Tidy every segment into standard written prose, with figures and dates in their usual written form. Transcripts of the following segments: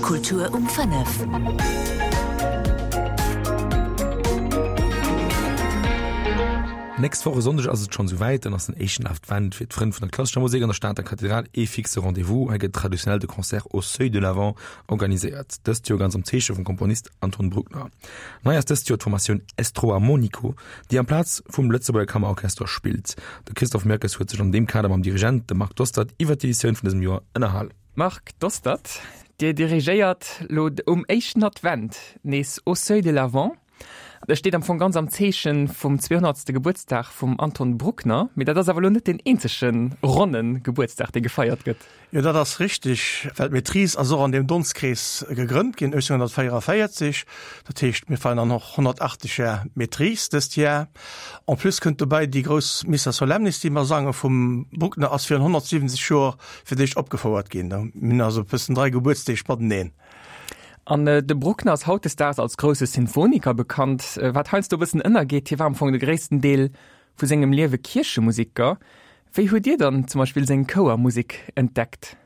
Kultur um 5. Nächst Woch e Sonndeg ass et schonn esou wäit, dann ass den éischten Advent fir d'Frënn vun der klassescher Musek an der Stater Kathedral ee fixe Rendez-vous. Hei gëtt traditionell de Concert au seuil de l'Avent organiséiert, dëst Joer ganz am Zeeche vum Komponist Anton Bruckner. Nei ass dëst Joer d'Formatioun Estro Armonico, déi amplaz vum Lëtzebuerger Kammerorchester spillt. De Christophe Mirkes huet sech an deem Kader mam Dirigent, dem Marc Dostert, iwwer d'Editioun vun dësem Joer ënnerhal. Marc Dostert, Dir dirigéiert lo um éischten Advent nees Au seuil de l'Avent. Dat steet am Fong ganz am Zeeche vum 200. Gebuertsdag vum Anton Bruckner. Mee dat ass awer lo net deen eenzege ronne Gebuertsdag, dee gefeiert gëtt. Jo, dat ass richteg, well d'Maîtrise ass och an deem Donstkrees gegrënnt ginn, 1844. Dat heescht, mir feiern dann och 180 Jar Maîtrise dëst Jar. En plus kënnt dobäi déi grouss Missa Solemnis, déi mer sange vum Bruckner, ass virun 170 Joer fir d'éischt opgefouert ginn. Mir hunn also e bëssen 3 Gebuertsdeeg mateneen. An de Bruckner ass hautdesdaags als grousse Sinfoniker bekannt, wat heiansdo e bëssen ënnergeet, hie war am Fong de gréissten Deel vu sengem Liewe Kierchemuseker. Wéi hutt Dir dann zum Beispill seng Chouermusek entdeckt?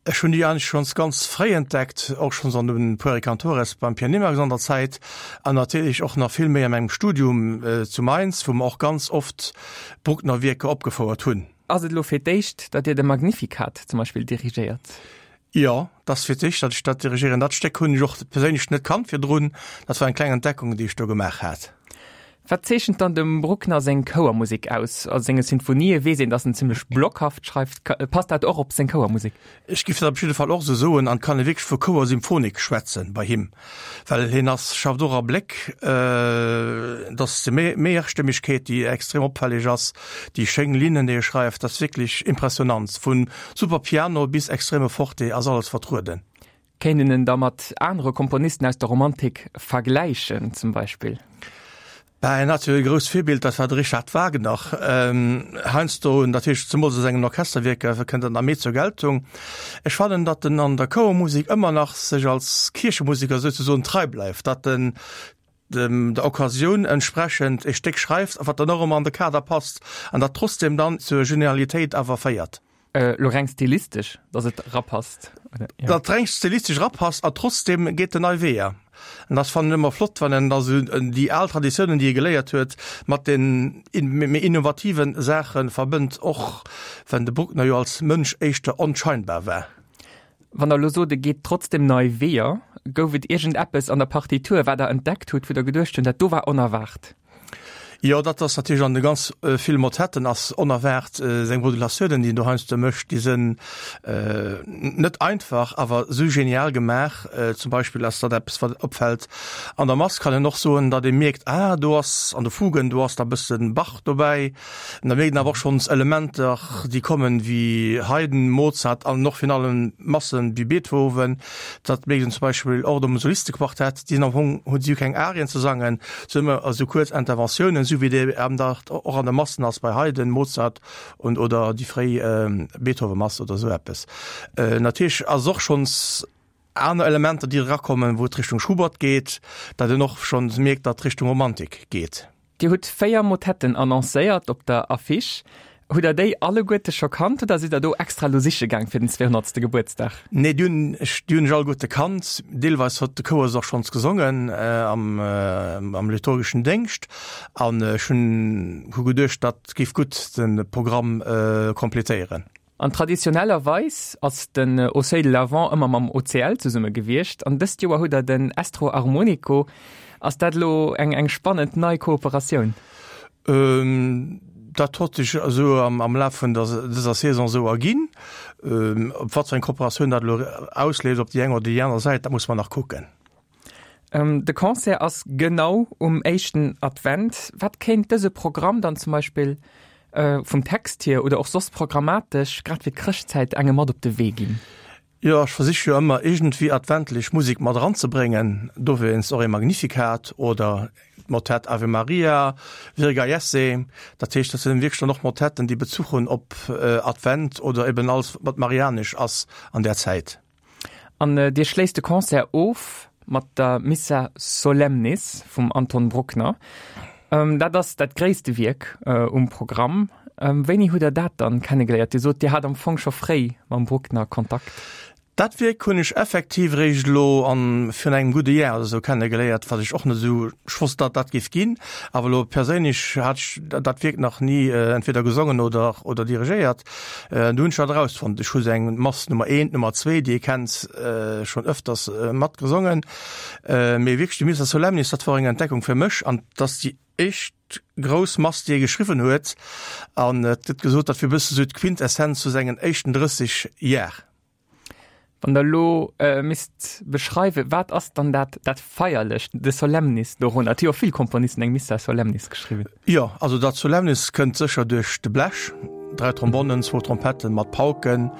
Ech hunn déi eigentlech schonns ganz fréi entdeckt, och schonns an den Pueri Cantores beim Pierre Nimax an der Zäit an natierlech och nach vill méi a mengem Studium zu Mainz, wou mer och ganz oft Bruckner-Wierker opgefouert hunn. Ass et elo fir d'éischt, datt Dir de Magnificat zum Beispill dirigéiert? Jo, et ass fir d'éischt, datt ech dat dirigéieren. Dat Stéck hunn ech och perséinlech net kannt virdrun. Dat war eng kleng Entdeckung, déi ech do gemaach hat. Wat zeechent dann dem Bruckner seng Chouermusek aus? A senge Sinfonië weess een, datt en zimmlech blockhaft schreift. Passt dat och op seng Chouermusek? Ech giff dat op jidde Fall och esou soen an et kann ee wierklech vu Chouersymphonik schwätzen bei him, well hien ass, schafft och a Bléck. Et ass déi Mehrstimmigkeet, déi extrem opfälleg ass, déi schéin Linnen, déi e schreift, dat ass wierklech impressionant. Vu super Piano bis extreme Forte ass alles vertrueden. Kéint een en da mat anere Komponisten aus der Romantik vergläichen zum Beispill? Bah, en hat jo e grousst Virbild, dat war de Richard Wagner. Heiansdo, natierlech zemools a sengen Orchesterwierker, kënnt dat nach méi zur Geltung. Ech fannen, datt en an der Chouermusek ëmmer nach sech als Kierchemuseker souzesoen trei bleift, datt en dem der Occasioun entsprechend e Stéck schreift, wat dann och ëmmer an de Kader passt an dat trotzdem dann zur Genialitéit awer féiert. Elo reng stilistesch, datt et rapasst, oder? Jo. Datt reng stilistesch rapasst a trotzdem geet en nei Weeër. An dat fannen ech ëmmer flott, wann en da sou déi al Traditiounen, déi e geléiert huet, mat den méi innovative Saache verbënnt, och wenn de Bruckner jo als Mënsch éischter onscheinbar war. Wann der elo sot, e geet trotzdem nei Weeër, gouf et iergendeppes an der Partitur, wat der entdeckt hutt, wou der geduecht hunn, dat do war onerwaart? Jo, dat ass natierlech an de ganz ville Motetten ass onerwaart. Seng Modulatiounen, déi en do heiansdo mécht, déi sinn net einfach, awer esou genial gemaach. Zum Beispill ass dat eppes, wat opfält. An der Mass kann een och soen, datt ee mierkt, ah, do ass an de Fugen, do ass da e bësse Bach dobäi. An da mierkt een awer och schonns Elementer, déi kommen, wéi Haydn, Mozart an och virun allem Massen wéi Beethoven. Dat mierkt een zum Beispill och am Solistequartett, déi sinn am Fong, hunn si jo keng Arien ze sangen, se hunn ëmmer esou kuerz Interventiounen, esou wéi dee eben dat och an de Massen ass bei Haydn, Mozart und oder déi fréi Beethoven-Mass oder esou eppes. Natierlech ass och schonns aner Elementer, déi erakommen, wou et Richtung Schubert geet, dat een och schonns mierkt, datt Richtung Romantik geet. Dir hutt 4 Motetten annoncéiert op der Affiche. Hutt der déi alleguerte scho kannt oder sidd der do extra lo siche gaang fir den 200. Gebuertsdag? Nee, déi hunn ech, déi hunn ech alleguerte kannt. Deelweis huet de Chouer se och schonns gesongen am, am liturgeschen Déngscht. An ech hunn, hu geduecht, dat géif gutt de Programm completéieren. An traditionellerweis ass den Au Seuil de l'Avent ëmmer mam OCL zesumme gewiescht. An dëst Joer hutt der den Estro Armonico. Ass dat elo eng eng spannend nei Kooperatioun? Dat hott sech esou am Laf vun der dëser Saison esou erginn. Op wat fir eng Kooperatioun dat elo ausleeft op déi eng oder déi aner Säit, dat musse mer nach kucken. De Concert ass genau um éischten Advent. Wat kéint dëse Programm dann zum Beispill vum Text hier oder och soss programmatesch grad fir d'Chrëschtzäit engem mat op de Wee ginn? Jo, ech versiche jo ëmmer iergendwéi adventlech Musek mat eranzebréngen, dowéinst och ee Magnificat oder d'Motett Ave Maria, Virga Jesse. Dat heescht, dat sinn wierklech dann och Motetten, déi Bezuch hunn op Advent oder eben alles, wat marianesch ass an där Zäit. An Dir schléisst de Concert of mat der Missa Solemnis vum Anton Bruckner. Dat ass dat gréisste Wierk um Programm. Wéini hutt Der dat dann kennegeléiert? Dir sot, Dir hat am Fong scho fréi mam Bruckner Kontakt. Dat Wierk hunn ech effektiv eréischt elo an virun engem gudde Jar oder sou kenne geléiert, wat ech och net esou, ech wosst dat dat géif ginn, awer elo perséinlech hat ech dat Wierk nach ni entweder gesongen oder oder dirigéiert. Du hunn ech dat erausfonnt. Ech hu sou eng Mass Nummer eent, Nummer zwee, déi ee kennt, schonn ëfters mat gesongen, mee wierklech déi Missa Solemnis, dat wor eng Entdeckung fir mech an dass déi éischt grouss Mass, déi e geschriwwen huet an et gëtt gesot, dat wier e bësse sou d'Quintessenz vu sengen éischten 30 Jar. Wann der elo misst beschreiwen, wat ass dann dat dat Feierlecht, de Solemnis dorunner? Et hu jo vill Komponisten eng Missa Solemnis geschriwwen. Jo, also dat Solemnis kënnt sécher duerch de Blech, 3 Trombonnen, zwou Trompetten mat Pauken,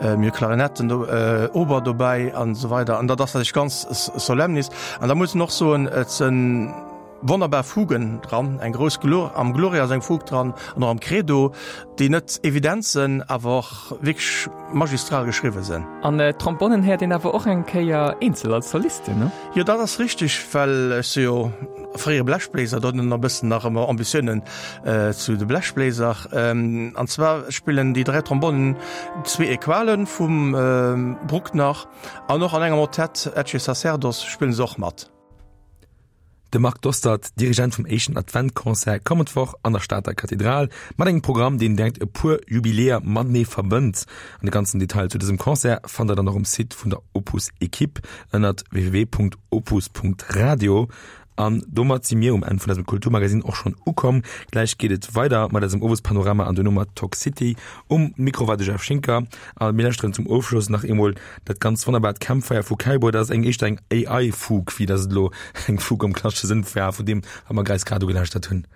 mir hu Klarinetten do, Oboe dobäi an esou weider. An dat ass natierlech ganz Solemnis. An da muss een och soen, et sënn Wonnerbar Fugen dran, eng grouss Glo am Gloria ass eng Fug dran an och am Credo, déi net evident sënn, awer och wierklech magistral geschriwwe sënn. An d'Trombonnen héiert een awer och eng Kéier eenzel als Solisten, ne? Jo, dat ass richteg, well ech si jo fréiere Blechbléiser, do hunn en e bëssen nach ëmmer Ambitiounen zu de Blechbléiser. An zwar spillen déi 3 Trombonnen zwee Equalen vum Bruckner an och an engem Motett Ecce Sacerdos spillen se och mat. De Marc Dostert, Dirigent vum éischten Adventconcert kommend Woch an der Stater Kathedral, mat engem Programm, deen direkt e puer Jubiläer matenee verbënnt. An de ganzen Detail zu dësem Concert fannt der dann och um Site vun der Opus Equipe ënnert www.opus.radio. An domat si mir um Enn vun eisem Kulturmagazin och schonn ukomm. Gläich geet et weider mat eisem Owespanorama an duerno mat Talk City. Um Mikro war de Jeff Schinker a mir lauschteren zum Ofschloss nach eemol Dat ganz wonnerbart Campfire vu Kaibo, dat ass eng éischter eng AI-Fug, wéi dat et elo eng Fug am klassesche Sënn war, vun deem, wat mer greis grad ugelauschtert hunn.